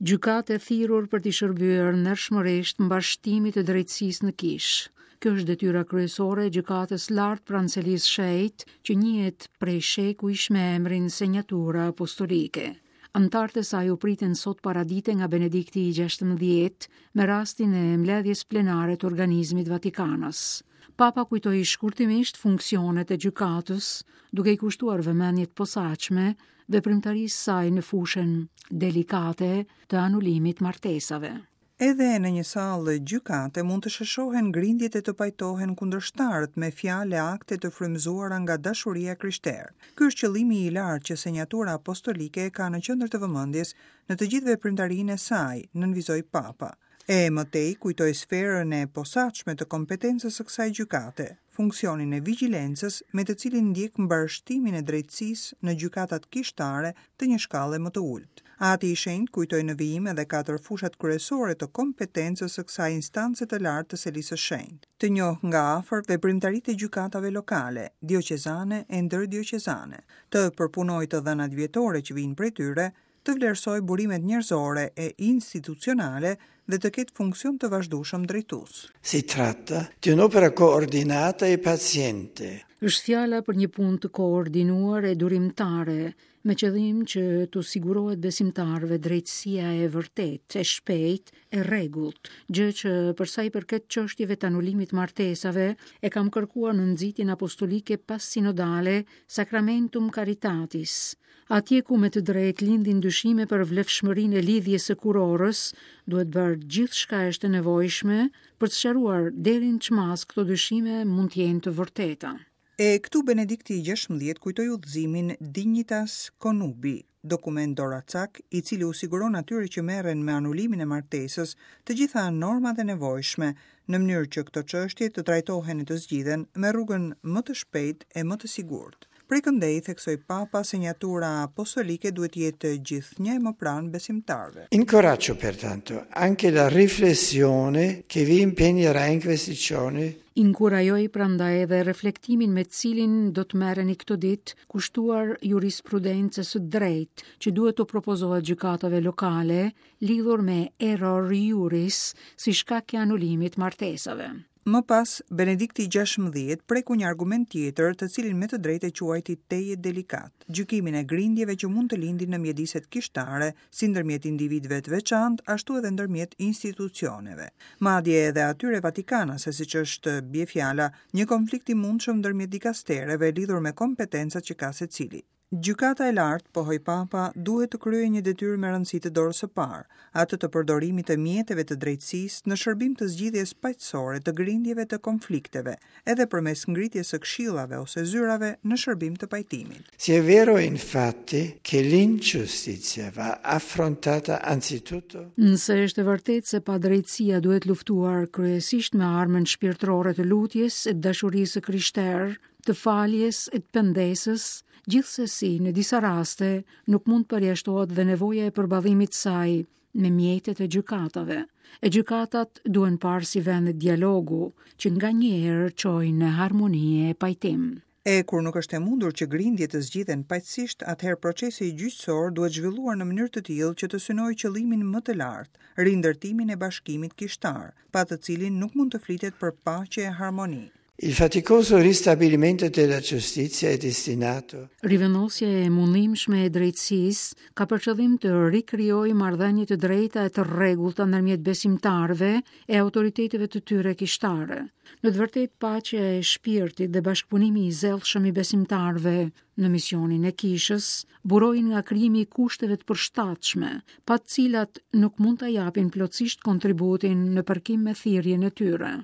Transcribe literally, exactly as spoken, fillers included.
Gjykatë e thirrur për t'i shërbyer ndershmërisht mbarështimit të drejtësisë në kishë. Kjo është detyra kryesore e gjykatës lartë pranë Selisë Shenjtë, që njihet prej shekujsh me emrin Senjatura Apostolike. Anëtarët e saj u pritën sot paradite nga Benedikti i gjashtëmbëdhjetë me rastin e mbledhjes plenare të organizmit Vatikanas. Papa kujtoi shkurtimisht funksionet e gjykatës, duke i kushtuar vëmendje të posaçme veprimtarisë saj në fushën delikate të anulimit martesave. Edhe në një sallë gjykate mund të sheshohen grindjet e të pajtohen kundërshtarët me fjalë e akte të frymëzuara nga dashuria e krishterë. Ky është qëllimi i lartë që Senjatura Apostolike ka në qendër të vëmendjes në të gjithë veprimtarinë e saj, nënvizoi Papa. E më tej kujtoi sferën e posaçme të kompetencës së kësaj gjykate, funksionin e vigjilencës me të cilin ndjek mbarështimin e drejtësisë në gjykatat kishtare të një shkalle më të ulët. Ati i Shenjtë kujtoi në vijim edhe katër fushat kryesore të kompetencës së kësaj instance të lartë të Selisë së Shenjtë. Të njohë nga afër veprimtaritë e gjykatave lokale, dioqezane e ndërdioqezane, të përpunojë të dhënat vjetore që vijnë prej tyre, të vlerësojë burimet njerëzore e institucionale dhe të ketë funksion të vazhdueshëm drejtues. Si tratta di un'opera coordinata e paziente. Është fjala për një punë të koordinuar e durimtare, me qëllim që t'u sigurohet besimtarëve drejtësia e vërtetë, e shpejtë, e rregullt, gjë që për sa i përket çështjeve të anulimit martesave e kam kërkuar në nxitjen apostolike pas sinodale Sacramentum Caritatis. Atje ku me të drejtë lindin dyshime për vlefshmërinë e lidhjes së kurorës, duhet bërë gjithçka është e nevojshme për të sqaruar deri në ç'mas këto dyshime mund të jenë të vërteta. E këtu Benedikti i gjashtëmbëdhjetë kujtoi udhëzimin Dignitas Connubii, dokument doracak i cili u siguron atyre që merren me anulimin e martesës të gjitha normat e nevojshme në mënyrë që këto çështje të trajtohen e të zgjidhen me rrugën më të shpejtë e më të sigurt. Prej këndej, theksoi Papa, senjatura apostolike duhet të jetë gjithnjë e më pranë besimtarëve. Incoraggio pertanto anche la riflessione che vi impegnerà in questi giorni. Inkurajoj prandaj edhe reflektimin me të cilin do të merreni këto ditë kushtuar jurisprudencës së drejtë që duhet të propozohet gjykatave lokale lidhur me error juris si shkak i anulimit martesave. Më pas, Benedikti i gjashtëmbëdhjetë preku një argument tjetër të cilin me të drejtë e quajti tejet delikat, gjykimin e grindjeve që mund të lindin në mjediset kishtare, si ndërmjet individëve të veçantë, ashtu edhe ndërmjet institucioneve. Madje edhe atyre vatikanase, siç është bie fjala, një konflikt i mundshëm ndërmjet dikastereve lidhur me kompetencat që ka secili. Gjykata e lartë, pohoi Papa, duhet të kryejë një detyrë me rëndësi të dorës së parë, atë të përdorimit të mjeteve të drejtësisë në shërbim të zgjidhjes paqësore të grindjeve të konflikteve, edhe përmes ngritjes së këshillave ose zyrave në shërbim të pajtimit. Se è vero infatti che l'ingiustizia va affrontata anzitutto Nëse është e vërtetë se padrejtësia duhet luftuar kryesisht me armën shpirtërore të lutjes e të dashurisë së krishterë, të faljes e të pendesës, gjithsesi në disa raste nuk mund të përjashtohet dhe nevoja e përballimit të saj me mjetet e gjykatave. E gjykatat duhen parë si vende dialogu që nganjëherë çojnë në harmoni e pajtim. E kur nuk është e mundur që grindjet të zgjidhen paqësisht, atëherë procesi gjyqësor duhet zhvilluar në mënyrë të tillë që të synojë qëllimin më të lartë, rindërtimin e bashkimit kishtar, pa të cilin nuk mund të flitet për paqe e harmoni. Il faticoso ristabilimento della giustizia è destinato Rivendosja e mundimshme e drejtësisë ka për qëllim të rikrijojë marrëdhënie të drejta e të rregullta ndërmjet besimtarëve e autoriteteve të tyre kishtare. Në të vërtetë, paqja e shpirtit dhe bashkëpunimi i zellshëm i besimtarëve në misionin e kishës burojnë nga krijimi i kushteve të përshtatshme, pa të cilat nuk mund ta japin plotësisht kontributin në përkim me thirrjen e tyre.